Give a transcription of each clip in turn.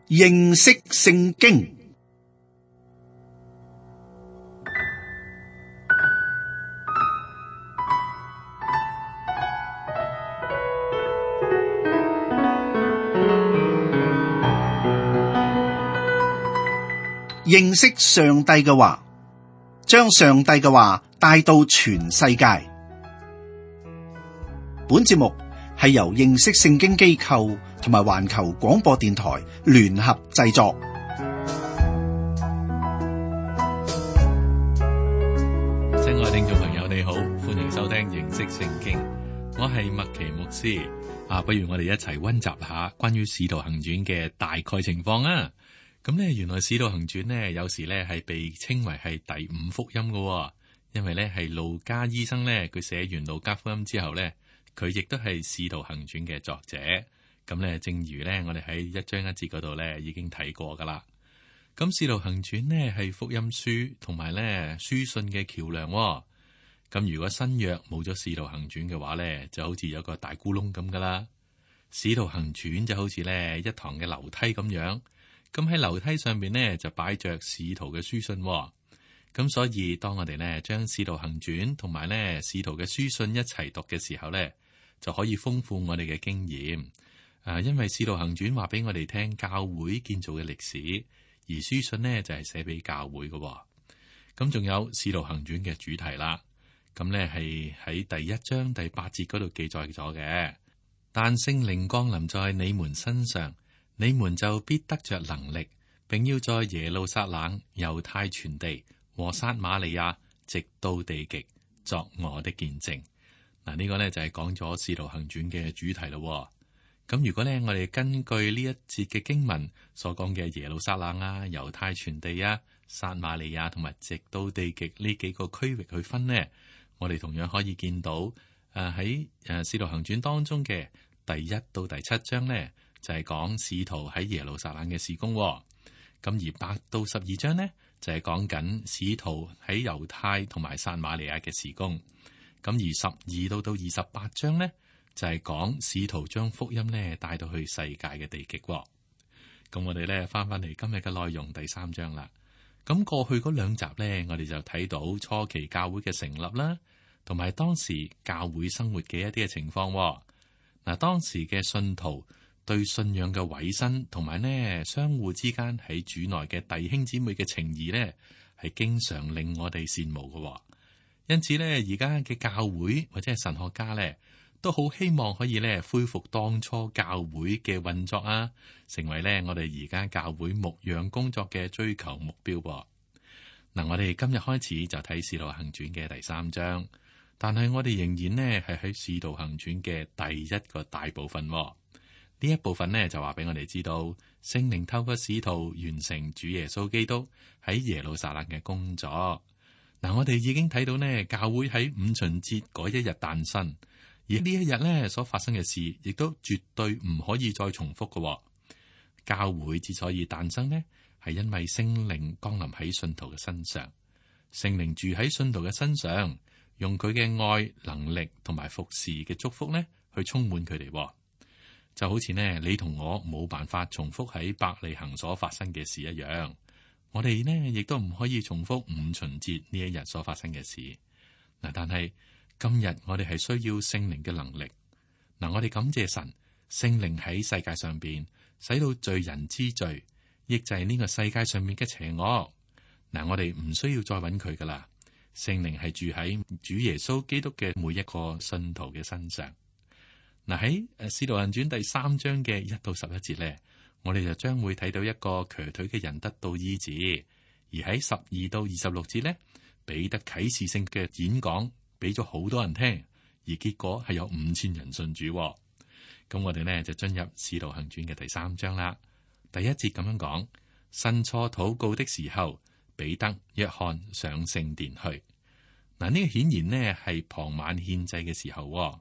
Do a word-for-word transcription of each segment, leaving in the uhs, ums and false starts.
認識聖經。認識上帝嘅話，將上帝嘅話帶到全世界。本節目係由認識聖經機構同埋環球廣播電台聯合製作。親愛聽眾朋友，你好，歡迎收聽認識聖經。我係麥奇牧師。啊，不如我哋一齊溫習下關於使徒行傳嘅大概情況啊！咁咧，原來《使徒行傳》呢，有時咧係被稱為係第五福音嘅、哦，因為咧係路加醫生咧，佢寫完路加福音之後咧，佢亦都係《使徒行傳》嘅作者。咁咧，正如咧我哋喺一章一節嗰度咧已經睇過噶啦。咁《使徒行傳》呢係福音書同埋咧書信嘅橋樑、哦。咁如果新約冇咗《使徒行傳》嘅話咧，就好似有個大咕窿咁噶啦。《使徒行傳》就好似咧一堂嘅樓梯咁樣。咁喺樓梯上邊呢，就擺着使徒嘅書信、哦，咁所以當我哋呢將使徒行傳同埋呢使徒嘅書信一齊讀嘅時候呢，就可以豐富我哋嘅經驗。啊，因為使徒行傳話俾我哋聽教會建造嘅歷史，而書信呢就係寫俾教會嘅、哦。咁仲有使徒行傳嘅主題啦，咁呢係喺第一章第八節嗰度記載咗嘅。但聖靈降臨在你們身上，你們就必得着能力，並要在耶路撒冷、猶太全地和撒瑪利亞，直到地極，作我的見證。嗱，呢個呢就係講咗《使徒行傳》嘅主題咯。咁如果呢，我哋根據呢一節嘅經文所講嘅耶路撒冷啊、猶太全地啊、撒瑪利亞同埋直到地極呢幾個區域去分呢，我哋同樣可以見到誒喺誒《使徒行傳》當中嘅第一到第七章呢，就係講使徒喺耶路撒冷嘅事工，咁而八到十二章呢，就係講緊使徒喺猶太同埋撒瑪利亞嘅事工，咁而十二到到二十八章呢，就係講使徒將福音呢帶到去世界嘅地極。咁我哋咧翻翻嚟今日嘅內容第三章啦。咁過去嗰兩集呢，我哋就睇到初期教會嘅成立啦，同埋當時教會生活嘅一啲嘅情況。嗱，當時嘅信徒對信仰嘅委身，同埋呢相互之間喺主內嘅弟兄姊妹嘅情誼呢，係經常令我哋羨慕嘅。因此呢，而家嘅教會或者係神學家呢，都好希望可以呢恢復當初教會嘅運作啊，成為呢我哋而家教會牧養工作嘅追求目標。嗱，我哋今日開始就睇《使徒行傳》嘅第三章，但係我哋仍然呢係喺《使徒行傳》嘅第一個大部分。呢一部分呢，就話俾我哋知道，聖靈透過使徒完成主耶穌基督喺耶路撒冷嘅工作。嗱，我哋已經睇到呢，教會喺五旬節嗰一日誕生，而呢一日呢所發生嘅事，亦都絕對唔可以再重複嘅。教會之所以誕生呢，係因為聖靈降臨喺信徒嘅身上，聖靈住喺信徒嘅身上，用佢嘅愛、能力同埋服侍嘅祝福呢，去充滿佢哋。就好似呢，你同我冇辦法重複喺伯利恆所發生嘅事一樣，我哋呢亦都唔可以重複五旬節呢一日所發生嘅事。嗱，但係今日我哋係需要聖靈嘅能力。嗱，我哋感謝神，聖靈喺世界上邊使到罪人之罪，抑制呢個世界上面嘅邪惡。嗱，我哋唔需要再揾佢噶啦，聖靈係住喺主耶穌基督嘅每一個信徒嘅身上。嗱，喺《使徒行傳》第三章嘅一到十一節咧，我哋就將會睇到一個瘸腿嘅人得到醫治，而喺十二到二十六節咧，彼得啟示性嘅演講俾咗好多人聽，而結果係有五千人信主。咁我哋呢，就進入《使徒行傳》嘅第三章啦。第一節咁樣講：申初禱告的時候，彼得、約翰上聖殿去。嗱，呢個顯然呢係傍晚獻祭嘅時候。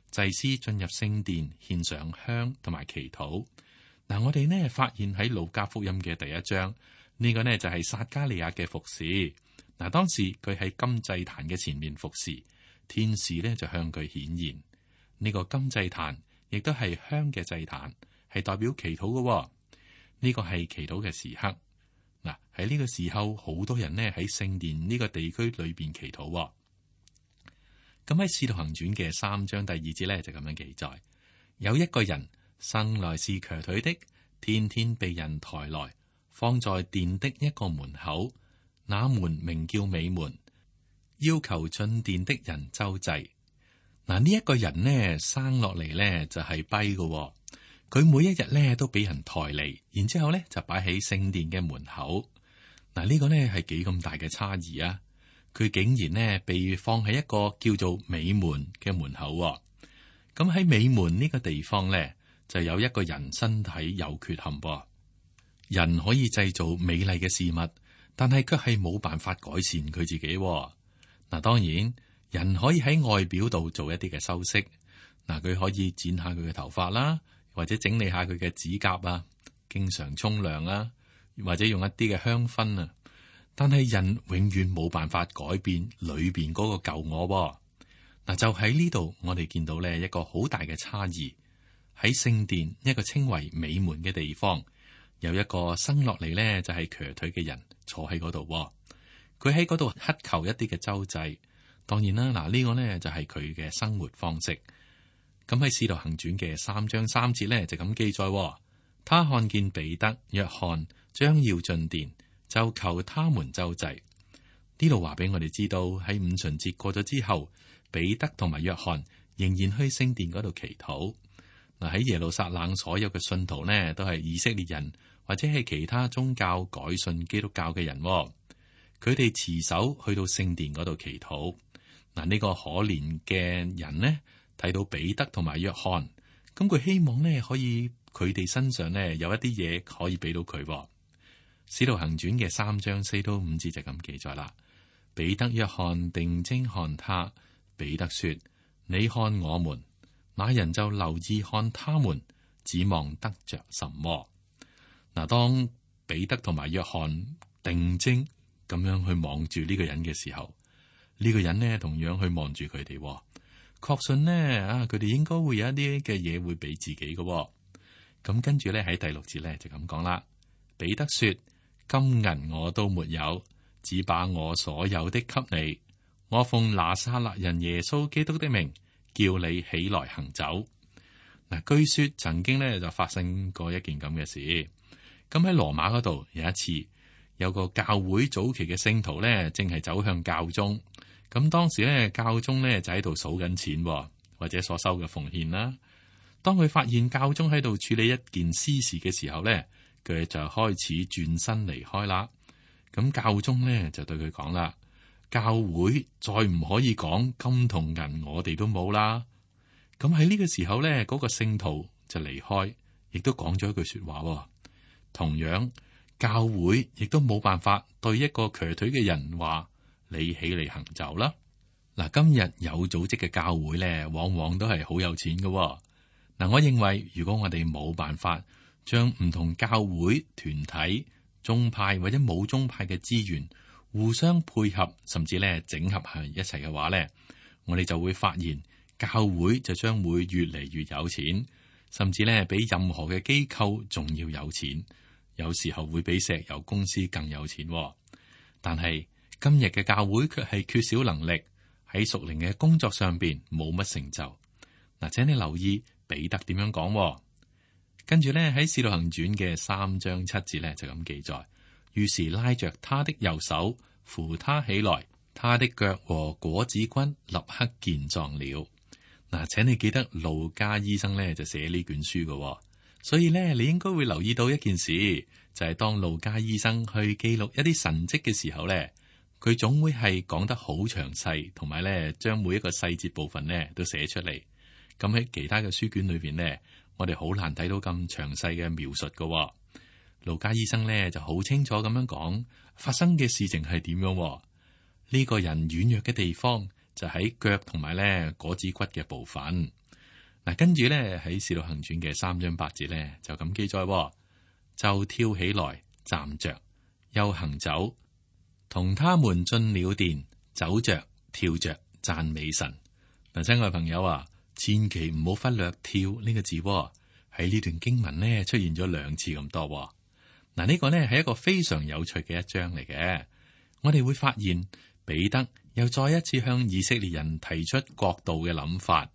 祭司進入聖殿獻上香同埋祈禱。嗱，我哋呢發現喺路加福音嘅第一章，呢、這個呢就係撒迦利亞嘅服侍。嗱，當時佢喺金祭壇嘅前面服侍，天使呢就向佢顯現。呢、這個金祭壇亦都係香嘅祭壇，係代表祈禱嘅。呢個係祈禱嘅時刻。嗱，喺呢個時候，好多人呢喺聖殿呢個地區裏邊祈禱。咁喺《使徒行傳》嘅三章第二節呢，就咁樣記載：有一個人生來是瘸腿的，天天被人抬來，放在殿的一個門口，那門名叫美門，要求進殿的人周濟。嗱，呢一個人呢生落嚟呢就係跛嘅，佢每一日呢都俾人抬嚟，然之後呢就擺喺聖殿嘅門口。嗱，呢個呢係幾咁大嘅差異啊！佢竟然呢被放喺一個叫做美門嘅門口。咁喺美門呢個地方呢，就有一個人身體有缺陷。人可以製造美麗嘅事物，但係卻係冇辦法改善佢自己。嗱，當然人可以喺外表度做一啲嘅修飾。嗱，佢可以剪下佢嘅頭髮啦，或者整理下佢嘅指甲啊，經常沖涼啊，或者用一啲嘅香薰啊。但係人永遠冇辦法改變裏邊嗰個舊我。嗱，就喺呢度，我哋見到咧一個好大嘅差異。喺聖殿一個稱為美門嘅地方，有一個生落嚟咧就係瘸腿嘅人坐喺嗰度。佢喺嗰度乞求一啲嘅周濟。當然啦，嗱，呢個呢就係佢嘅生活方式。咁喺《使徒行傳》嘅三章三節咧就咁記載：他看見彼得、約翰將要進殿，就求他們周濟。呢度話俾我哋知道，喺五旬節過咗之後，彼得同埋約翰仍然去聖殿嗰度祈禱。嗱，喺耶路撒冷所有嘅信徒呢，都係以色列人或者係其他宗教改信基督教嘅人。佢哋持守去到聖殿嗰度祈禱。嗱，呢個可憐嘅人呢，睇到彼得同埋約翰，咁佢希望呢可以佢哋身上呢有一啲嘢可以俾到佢。使徒行傳嘅三章四到五節就咁記載啦。彼得、約翰定睛看他，彼得說：你看我們。那人就留意看他們，指望得着什麼。嗱，當彼得同埋約翰定睛咁樣去望住呢個人嘅時候，呢個人呢同樣去望住佢哋，確信呢啊，佢哋應該會有一啲嘅嘢會俾自己嘅。咁跟住咧喺第六節咧就咁講啦。彼得說：金銀我都沒有，只把我所有的給你。我奉拿撒勒人耶穌基督的名，叫你起來行走。嗱，據說曾經咧就發生過一件咁嘅事。咁喺羅馬嗰度有一次，有個教會早期嘅聖徒咧，正係走向教宗。咁當時咧，教宗咧就喺度數緊錢，或者所收嘅奉獻啦。當佢發現教宗喺度處理一件私事嘅時候咧，佢就開始轉身離開啦。咁教宗咧就對佢講啦：教會再唔可以講金同銀，我哋都冇啦。咁喺呢個時候咧，嗰個聖徒就離開，亦都講咗一句說話。同樣，教會亦都冇辦法對一個瘸腿嘅人話：你起嚟行走啦。嗱，今日有組織嘅教會咧，往往都係好有錢嘅。嗱，我認為如果我哋冇辦法將唔同教會團體、宗派或者冇宗派嘅資源互相配合，甚至咧整合喺一齊嘅話咧，我哋就會發現教會就將會越嚟越有錢，甚至咧比任何嘅機構仲要有錢，有時候會比石油公司更有錢。但係今日嘅教會卻係缺少能力，喺屬靈嘅工作上邊冇乜成就。嗱，請你留意彼得點樣講。跟住咧喺《使徒行傳》嘅三章七節咧就咁記載，於是拉着他的右手扶他起來，他的腳和果子骨立刻健壯了。嗱，請你記得路加醫生咧就寫呢卷書嘅，所以咧你應該會留意到一件事，就係、是、當路加醫生去記錄一啲神蹟嘅時候咧，佢總會係講得好詳細，同埋咧將每一個細節部分咧都寫出嚟。咁喺其他嘅書卷裏邊咧，我哋好難睇到咁詳細嘅描述嘅。路加醫生咧就好清楚咁樣講發生嘅事情係點樣。呢、這個人軟弱嘅地方就喺腳同埋咧果子骨嘅部分。嗱，跟住咧喺《使徒行傳》嘅三章八節咧就咁記載，就跳起來站着，又行走，同他們進了殿，走着跳着讚美神。嗱，親愛朋友啊，千祈唔好忽略跳呢個字喎，喺呢段經文呢出現咗兩次咁多。嗱，呢個呢係一個非常有趣嘅一章嚟嘅。我哋會發現彼得又再一次向以色列人提出國度嘅諗法。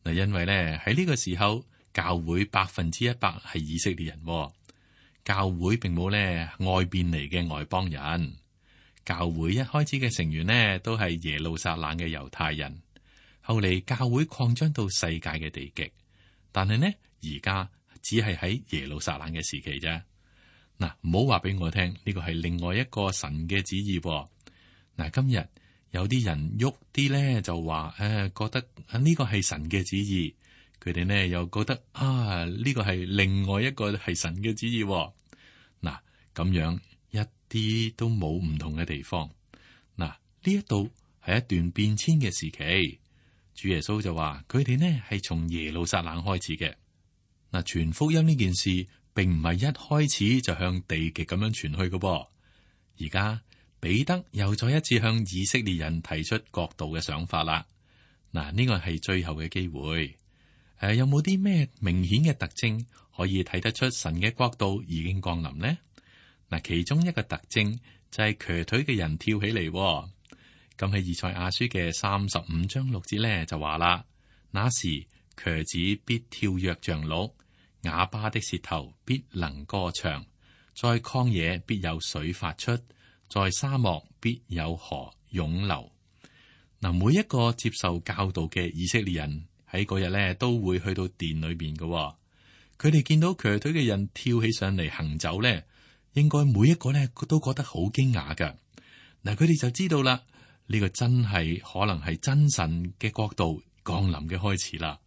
嗱，因為呢喺呢個時候，教會百分之一百係以色列人，教會並冇呢外邊嚟嘅外邦人。教會一開始嘅成員呢都係耶路撒冷嘅猶太人，後嚟教會擴張到世界嘅地極，但係呢而家只係喺耶路撒冷嘅時期啫。嗱，唔好話俾我聽，呢個係另外一個神嘅旨意。嗱，今日有啲人喐啲咧就話，誒、呃，覺得呢個係神嘅旨意，佢哋呢又覺得啊，呢個係另外一個係神嘅旨意。嗱，咁樣一啲都冇唔同嘅地方。嗱，呢一度係一段變遷嘅時期，主耶穌就話佢哋呢係從耶路撒冷開始嘅。嗱，傳福音呢件事，並唔係一開始就向地極咁樣傳去嘅噃。而家彼得又再一次向以色列人提出國度嘅想法啦。嗱，呢個係最後嘅機會。誒、呃，有冇啲咩明顯嘅特徵可以睇得出神嘅國度已經降臨呢？嗱，其中一個特徵就係瘸腿嘅人跳起嚟。咁喺以賽亞書嘅三十五章六節咧就話啦：那時瘸子必跳躍像鹿。啞巴的舌頭必能歌唱，在曠野必有水發出，在沙漠必有河湧流。嗱，每一個接受教導嘅以色列人喺嗰日咧都會去到殿裏邊嘅。佢哋見到瘸腿嘅人跳起上嚟行走咧，應該每一個咧都覺得好驚訝㗎。嗱，佢哋就知道啦，呢個真係可能係真神嘅國度降臨嘅開始啦。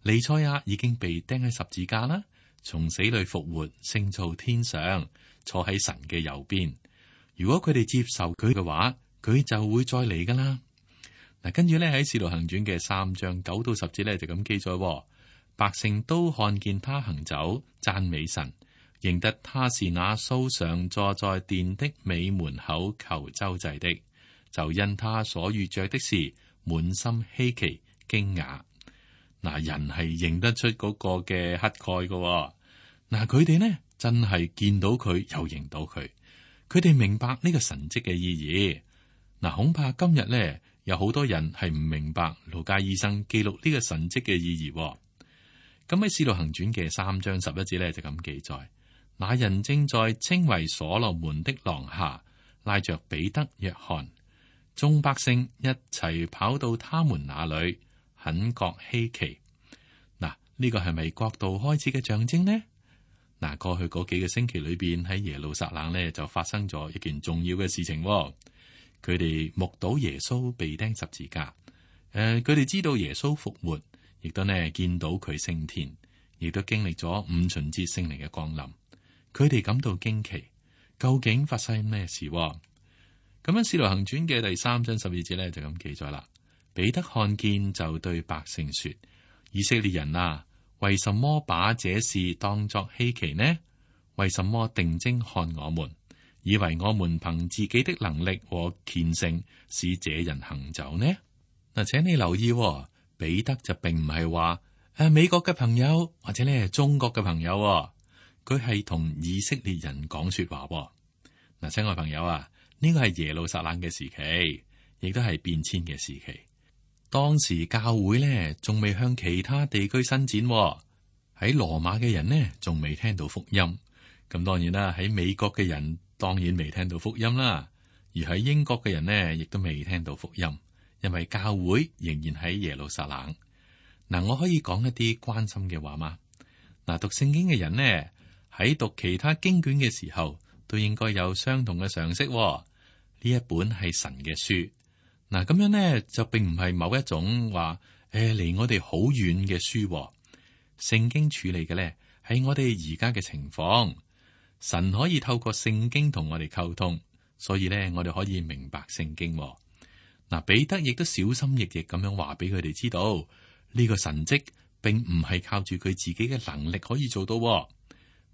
彌賽亞已經被釘喺十字架啦，從死裏復活，升到天上，坐喺神嘅右邊。如果佢哋接受佢嘅話，佢就會再嚟噶啦。嗱，跟住咧喺《使徒行傳》嘅三章九到十節咧就咁記載：百姓都看見他行走，讚美神，認得他是那素常坐在殿的美門口求周濟的，就因他所遇着的事，滿心稀奇驚訝。嗱，人係認得出嗰個嘅乞丐嘅。嗱，佢哋呢真係見到佢又認到佢，佢哋明白呢個神蹟嘅意義。嗱，恐怕今日呢有好多人係唔明白路加醫生記錄呢個神蹟嘅意義。咁喺《使徒行傳》嘅三章十一節呢就咁記載：那人正在稱為所羅門的廊下，拉着彼得、約翰，眾百姓一齊跑到他們那裏。很覺稀奇。嗱，呢個係咪國度開始嘅象徵呢？嗱，過去嗰幾個星期裏邊喺耶路撒冷呢就發生咗一件重要嘅事情。佢哋目睹耶穌被釘十字架，誒、呃，佢哋知道耶穌復活，亦都呢見到佢升天，亦都經歷咗五旬節聖靈嘅降臨。佢哋感到驚奇，究竟發生咩事？咁樣《使徒行傳》嘅第三章十二節呢就咁記載啦。彼得看見就對百姓說：以色列人啊，為什麼把這事當作稀奇呢？為什麼定睛看我們，以為我們憑自己的能力和虔誠使這人行走呢？嗱，請你留意、哦，彼得就並唔係話誒美國嘅朋友或者咧中國嘅朋友、哦，佢係同以色列人講說話、哦。嗱，親愛朋友啊，呢個係耶路撒冷嘅時期，亦都係變遷嘅時期。當時教會呢仲未向其他地區伸展、哦，喺羅馬嘅人呢仲未聽到福音。咁當然啦，喺美國嘅人當然未聽到福音啦，而喺英國嘅人呢亦都未聽到福音，因為教會仍然喺耶路撒冷。嗱，我可以講一啲關心嘅話嗎？嗱，讀聖經嘅人呢喺讀其他經卷嘅時候，都應該有相同嘅常識、哦。呢一本係神嘅書。嗱，咁樣呢，就並唔係某一種話誒離我哋好遠嘅書、哦。聖經處理嘅呢係我哋而家嘅情況。神可以透過聖經同我哋溝通，所以呢，我哋可以明白聖經、哦。嗱，彼得亦都小心翼翼咁樣話俾佢哋知道，呢、這個神蹟並唔係靠住佢自己嘅能力可以做到、哦。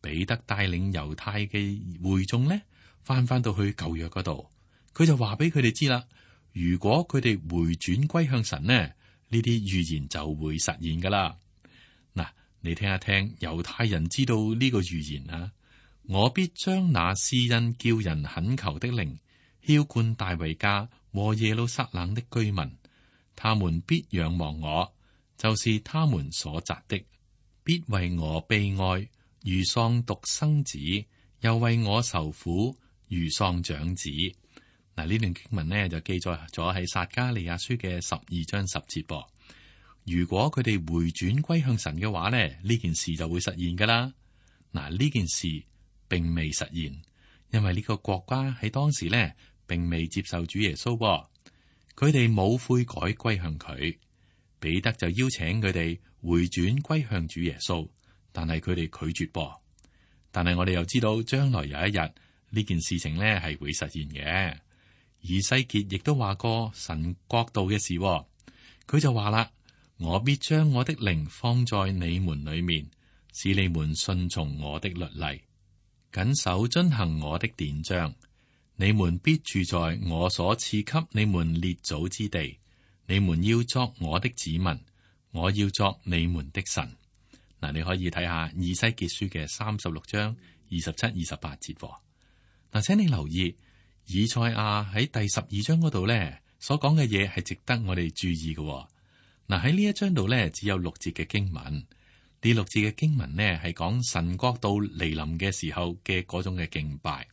彼得帶領猶太嘅會眾呢，翻翻到去舊約嗰度，佢就話俾佢哋知啦。如果佢哋回轉歸向神呢，呢啲預言就會實現噶啦。嗱，你聽一聽猶太人知道呢個預言啊，我必將那施恩叫人懇求的靈澆灌大衛家和耶路撒冷的居民，他們必仰望我，就是他們所擇的，必為我悲哀，如喪獨生子，又為我受苦，如喪長子。嗱，呢段經文呢就記載咗喺撒迦利亞書嘅十二章十節噃。如果佢哋回轉歸向神嘅話呢，呢件事就會實現噶啦。嗱，呢件事並未實現，因為呢個國家喺當時呢並未接受主耶穌噃，佢哋冇悔改歸向佢。彼得就邀請佢哋回轉歸向主耶穌，但係佢哋拒絕噃。但係我哋又知道將來有一日呢件事情呢係會實現嘅。以西結亦都話過神國度嘅事，佢就話啦：我必將我的靈放在你們裏面，使你們順從我的律例，謹守遵行我的典章。你們必住在我所賜給你們列祖之地，你們要作我的子民，我要作你們的神。嗱，你可以睇下以西結書嘅三十六章二十七、二十八節。嗱，請你留意。以賽亞喺第十二章嗰度咧，所講嘅嘢係值得我哋注意嘅。嗱，喺呢一章度咧，只有六節嘅經文。呢六節嘅經文呢，係講神國度嚟臨嘅時候嘅嗰種嘅敬拜。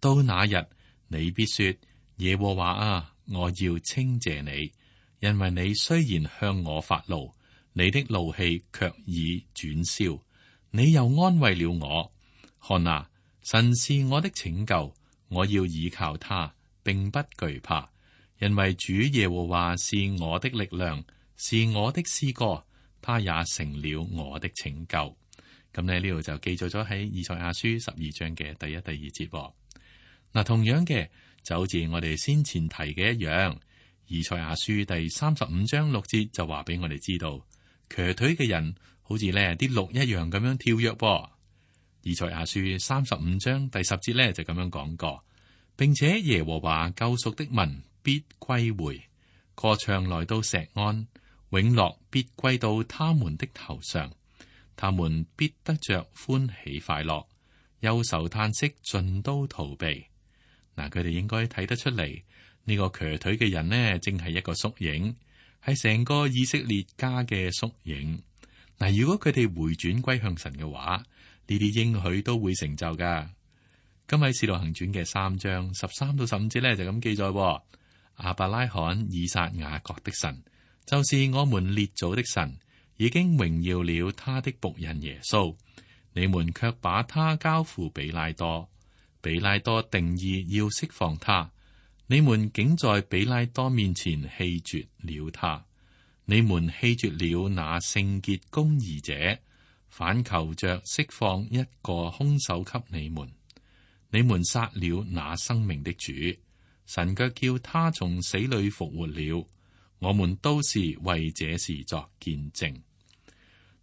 到那日，你必說：耶和華啊，我要稱謝你，因為你雖然向我發怒，你的怒氣卻已轉消，你又安慰了我。看啊，神是我的拯救。我要倚靠他，並不懼怕，因為主耶和華是我的力量，是我的詩歌，他也成了我的拯救。咁呢呢度就記載咗喺以賽亞書十二章嘅第一、第二節。嗱，同樣嘅就好似我哋先前提嘅一樣，以賽亞書第三十五章六節就話俾我哋知道，瘸腿嘅人好似呢啲鹿一樣咁樣跳躍噃。以賽亞書三十五章第十節咧就咁樣講過，並且耶和華救贖的民必歸回，歌唱來到錫安，永樂必歸到他們的頭上，他們必得着歡喜快樂，憂愁嘆息盡都逃避。嗱，佢哋應該睇得出嚟，呢個瘸腿嘅人呢，正係一個縮影，係成個以色列家嘅縮影。嗱，如果佢哋回轉歸向神嘅話，呢啲應許都會成就噶。今喺《使徒行傳》嘅三章十三到十五節咧就咁記載：亞伯拉罕、以撒、雅各的神，就是我們列祖的神，已經榮耀了他的僕人耶穌。你們卻把他交付比拉多，比拉多定意要釋放他，你們竟在比拉多面前棄絕了他。你們棄絕了那聖潔公義者，反求着釋放一個兇手給你們。你們殺了那生命的主，神卻叫他從死裏復活了。我們都是為這事作見證。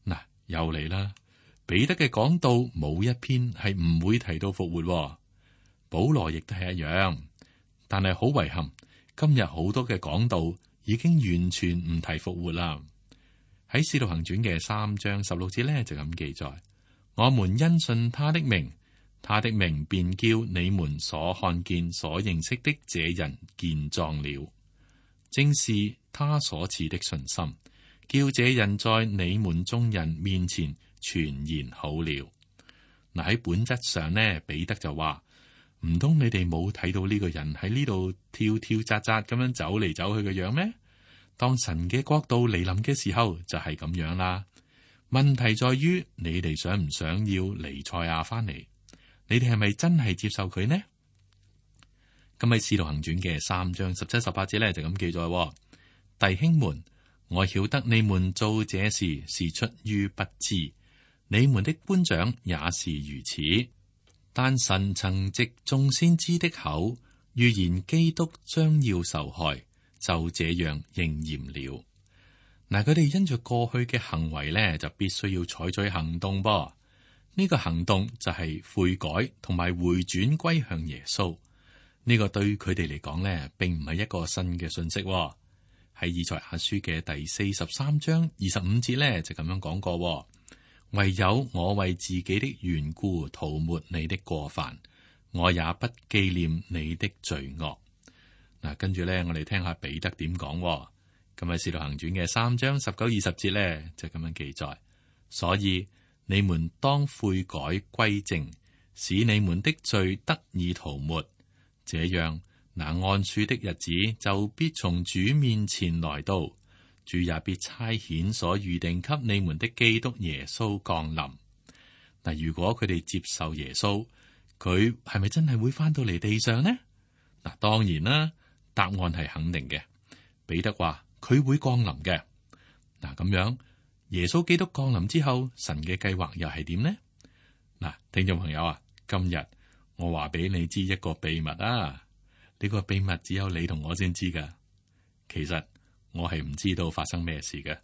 嗱，又嚟啦！彼得嘅講道冇一篇係唔會提到復活，保羅亦都係一樣。但係好遺憾，今日好多嘅講道已經完全唔提復活啦。喺《使徒行傳》嘅三章十六節咧就咁記載：我們因信他的名，他的名便叫你們所看見、所認識的這人健壯了。正是他所賜的信心，叫這人在你們眾人面前全然好了。嗱，喺本質上呢，彼得就話：唔通你哋冇睇到呢個人喺呢度跳跳扎扎咁樣走嚟走去嘅樣咩？當神嘅國度嚟臨嘅時候就係咁樣啦。問題在於你哋想唔想要彌賽亞翻嚟？你哋係咪真係接受佢呢？咁喺《使徒行傳》嘅三章十七、十八節咧就咁記載：弟兄們，我曉得你們做這事是出於不知，你們的官長也是如此。但神曾藉眾先知的口預言基督將要受害，就這樣應驗了。嗱，佢哋因着過去嘅行為咧，就必須要採取行動噃。呢個行動就係悔改同埋回轉歸向耶穌。呢個對佢哋嚟講咧，並唔係一個新嘅信息。喺以賽亞書嘅第四十三章二十五節咧，就咁樣講過：唯有我為自己的緣故塗抹你的過犯，我也不紀念你的罪惡。嗱，跟住咧，我哋聽下彼得點講。咁喺《使徒行傳》嘅三章十九二十節咧，就咁樣記載。所以你們當悔改歸正，使你們的罪得以塗抹，這樣那按數的日子就必從主面前來到，主也必差遣所預定給你們的基督耶穌降臨。嗱，如果佢哋接受耶穌，佢係咪真係會翻到嚟地上呢？嗱，當然啦，答案係肯定嘅。彼得話佢會降臨嘅。嗱，咁樣耶穌基督降臨之後，神嘅計劃又係點呢？嗱，聽眾朋友啊，今日我話俾你知一個秘密啊！呢個秘密只有你同我先知噶。其實我係唔知道發生咩事嘅。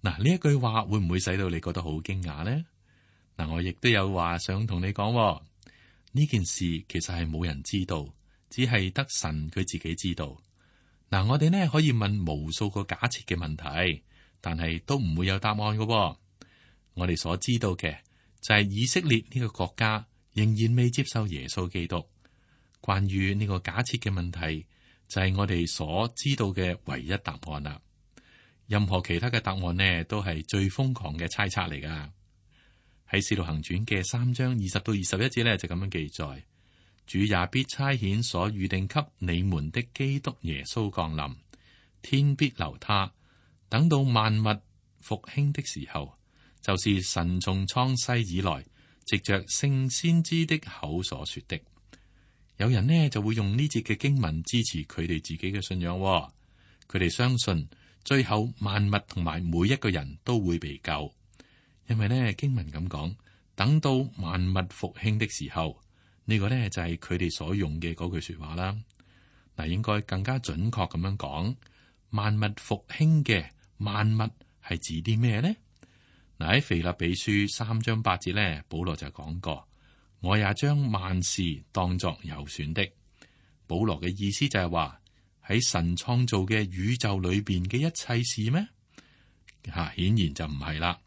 嗱，呢一句話會唔會使到你覺得好驚訝呢？嗱，我亦都有話想同你講，呢件事其實係冇人知道，只係得神佢自己知道。嗱，我哋呢可以問無數個假設嘅問題，但係都唔會有答案嘅。我哋所知道嘅就係以色列呢個國家仍然未接受耶穌基督。關於呢個假設嘅問題，就係我哋所知道嘅唯一答案啦。任何其他嘅答案呢，都係最瘋狂嘅猜測嚟噶。喺《使徒行傳》嘅三章二十到二十一節呢，就咁樣記載：主也必差遣所預定給你們的基督耶穌降臨，天必留他，等到萬物復興的時候，就是神從創世以來藉着聖先知的口所說的。有人呢就會用呢節嘅經文支持佢哋自己嘅信仰，佢哋相信最後萬物同埋每一個人都會被救，因為呢經文咁講，等到萬物復興的時候，呢個呢就係佢哋所用嘅嗰句說話啦。嗱，應該更加準確咁樣講，萬物復興嘅萬物係指啲咩呢？嗱，喺腓立比書三章八節呢，保羅就講過。我也將萬事當作有損的。保羅嘅意思就係話喺神創造嘅宇宙裏邊嘅一切事咩？吓、啊，顯然就唔係啦。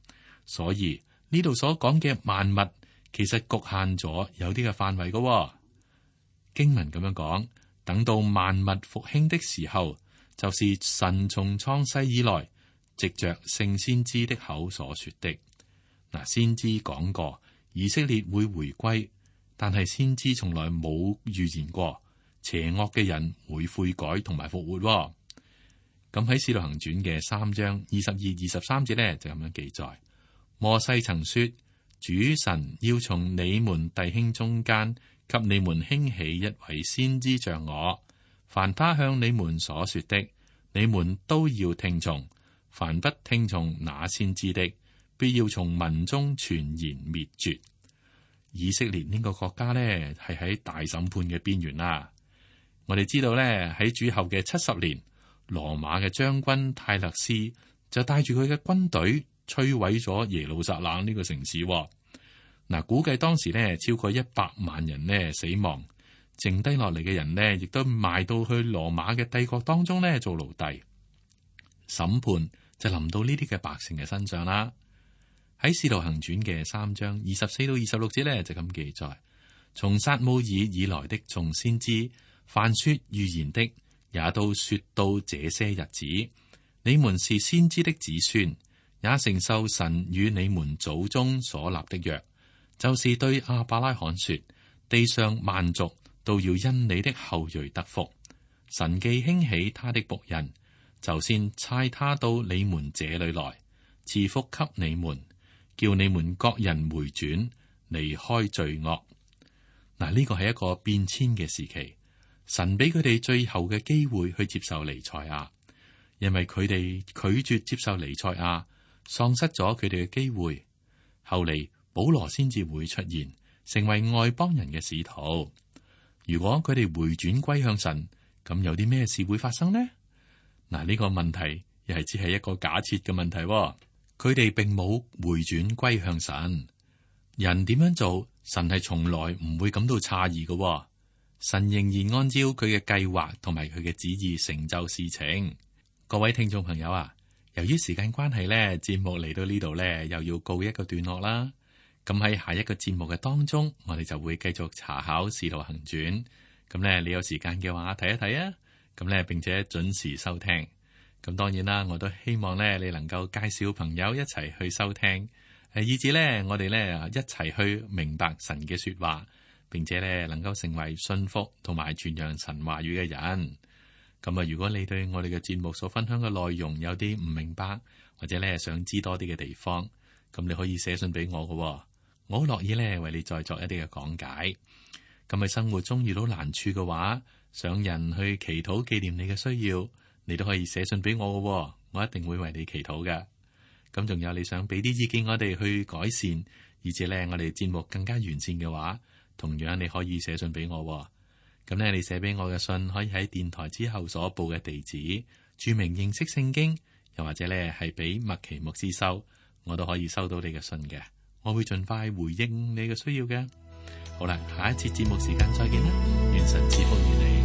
所以呢度所講嘅萬物，其實局限咗有啲嘅範圍噶。經文咁樣講，等到萬物復興的時候，就是神從創世以來，藉着聖先知的口所說的。嗱、啊，先知講過。以色列會回歸，但係先知從來冇預言過邪惡嘅人會悔改同埋復活。咁喺《使徒行傳》嘅三章二十二、二十三節呢，就咁樣記載：摩西曾說，主神要從你們弟兄中間給你們興起一位先知像我，凡他向你們所說的，你們都要聽從；凡不聽從那先知的，必要從民中全然滅絕。以色列呢個國家呢，係喺大審判嘅邊緣啦。我哋知道呢，喺主後嘅七十年，羅馬嘅將軍泰勒斯就帶住佢嘅軍隊摧毀咗耶路撒冷呢個城市。嗱，估計當時呢，超過一百萬人呢死亡，剩低落嚟嘅人呢，亦都賣到去羅馬嘅帝國當中呢做奴隸。審判就臨到呢啲嘅百姓嘅身上啦。喺《使徒行傳》嘅三章二十四到二十六節呢，就咁記載：從撒母耳以來的眾先知，凡說預言的，也都說到這些日子。你們是先知的子孫，也承受神與你們祖宗所立的約，就是對亞伯拉罕說：地上萬族都要因你的後裔得福。神既興起他的僕人，就先差他到你們這裏來，賜福給你們。叫你們各人回轉，離開罪惡。嗱，呢個係一個變遷嘅時期，神俾佢哋最後嘅機會去接受彌賽亞，因為佢哋拒絕接受彌賽亞，喪失咗佢哋嘅機會。後嚟保羅先至會出現，成為外邦人嘅使徒。如果佢哋回轉歸向神，咁有啲咩事會發生呢？嗱，呢個問題又係只係一個假設嘅問題。佢哋並冇回轉歸向神，人點樣做，神係從來唔會感到詫異嘅。神仍然按照佢嘅計劃同埋佢嘅旨意成就事情。各位聽眾朋友啊，由於時間關係咧，節目嚟到呢度咧，又要告一個段落啦。咁喺下一個節目嘅當中，我哋就會繼續查考《使徒行傳》。咁咧，你有時間嘅話睇一睇啊。咁咧，並且準時收聽。咁當然啦，我都希望咧，你能夠介紹朋友一齊去收聽，誒，以至咧，我哋咧一齊去明白神嘅說話，並且咧能夠成為信服同埋傳揚神話語嘅人。咁啊，如果你對我哋嘅節目所分享嘅內容有啲唔明白，或者咧想知多啲嘅地方，咁你可以寫信俾我嘅，我好樂意咧為你再作一啲嘅講解。咁喺生活中遇到難處嘅話，想人去祈禱紀念你嘅需要，你都可以寫信俾我嘅，我一定會為你祈禱嘅。咁仲有你想俾啲意見我哋去改善，以至咧我哋節目更加完善嘅話，同樣你可以寫信俾我。咁咧，你寫俾我嘅信可以喺電台之後所報嘅地址，注明認識聖經，又或者咧係俾麥奇牧師收，我都可以收到你嘅信嘅。我會盡快回應你嘅需要嘅。好啦，下一次節目時間再見啦，願神賜福於你。